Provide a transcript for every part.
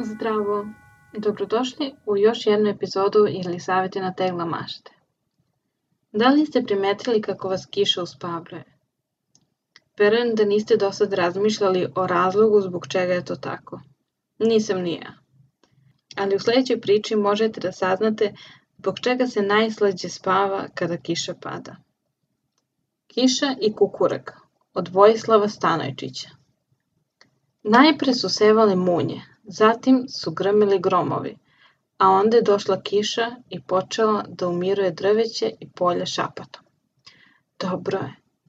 Zdravo! Dobrodošli u još jednu epizodu ili savjeti na tegla mašte. Da li ste primetili kako vas kiša uspavljuje? Verujem da niste do sad razmišljali o razlogu zbog čega je to tako. Nisam ni ja. Ali u sljedećoj priči možete da saznate zbog čega se najslađe spava kada kiša pada. Kiša i kukurek od Vojislava Stanojčića. Najpre su sevale munje, zatim su grmeli gromovi, a onda je došla kiša i počela da umiruje drveće i polje šapatom.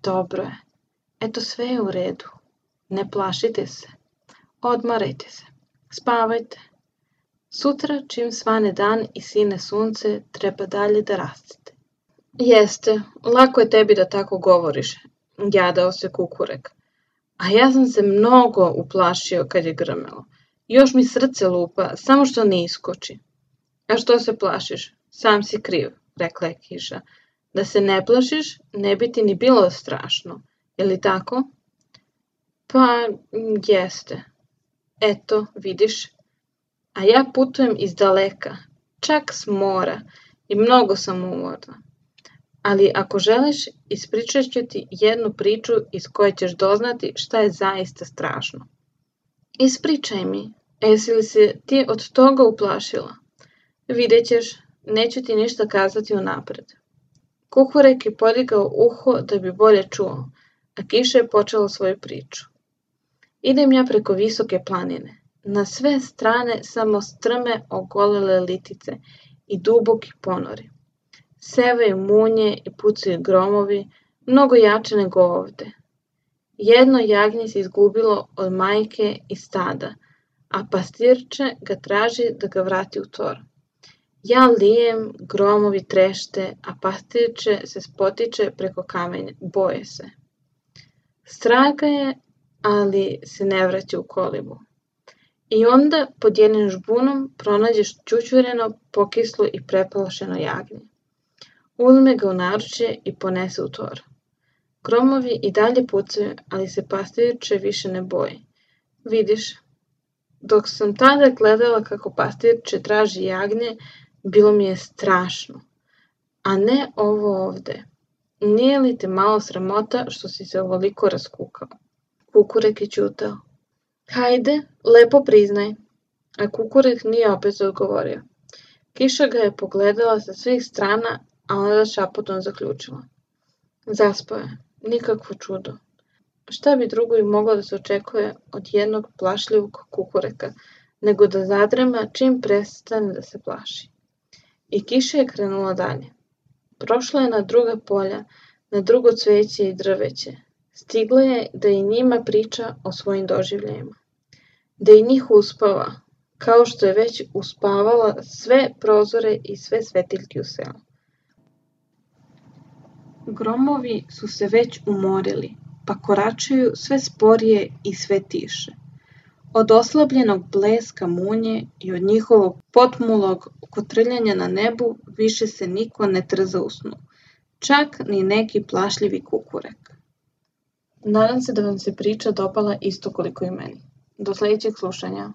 Dobro je, eto sve je u redu, ne plašite se, odmarajte se, spavajte. Sutra čim svane dan i sine sunce treba dalje da rastete. Jeste, lako je tebi da tako govoriš, jadao se kukurek. A ja sam se mnogo uplašio kad je grmelo. Još mi srce lupa, samo što ne iskoči. A što se plašiš? Sam si kriv, rekla je kiša. Da se ne plašiš, ne bi ti ni bilo strašno. Je li tako? Pa, jeste. Eto, vidiš. A ja putujem iz daleka, čak s mora i mnogo sam umorna. Ali ako želiš, ispričat ću ti jednu priču iz koje ćeš doznati šta je zaista strašno. Ispričaj mi, jesi li se ti od toga uplašila? Vidjet ćeš, neću ti ništa kazati unapred. Kukurek je podigao uho da bi bolje čuo, a kiša je počela svoju priču. Idem ja preko visoke planine. Na sve strane samo strme ogolele litice i duboki ponori. Sevaju munje i pucaju gromovi, mnogo jače nego ovde. Jedno jagnje se izgubilo od majke i stada, a pastirče ga traži da ga vrati u tor. Ja lijem, gromovi trešte, a pastirče se spotiče preko kamenja, boje se. Strah ga je, ali se ne vraća u kolibu. I onda pod jednim žbunom pronađeš čučureno, pokislo i preplašeno jagnje. Uzme ga u naručje i ponese u tor. Gromovi i dalje pucaju, ali se pastirče više ne boji. Vidiš, dok sam tada gledala kako pastirče traži jagnje, bilo mi je strašno. A ne ovo ovde. Nije li te malo sramota što si se ovoliko raskukao? Kukurek je ćutao. Hajde, lepo priznaj. A kukurek nije opet odgovorio. Kiša ga je pogledala sa svih strana, a onda šapotom zaključila. Zaspao je, nikakvo čudo. Šta bi drugo i moglo da se očekuje od jednog plašljivog kukureka, nego da zadrema čim prestane da se plaši. I kiša je krenula dalje. Prošla je na druga polja, na drugo cveće i drveće. Stigla je da i njima priča o svojim doživljajima. Da i njih uspava, kao što je već uspavala sve prozore i sve svetiljke u selu. Gromovi su se već umorili, pa koračaju sve sporije i sve tiše. Od oslabljenog bleska munje i od njihovog potmulog kotrljanja na nebu više se niko ne trza u snu, čak ni neki plašljivi kukurek. Nadam se da vam se priča dopala isto koliko i meni. Do sljedećeg slušanja.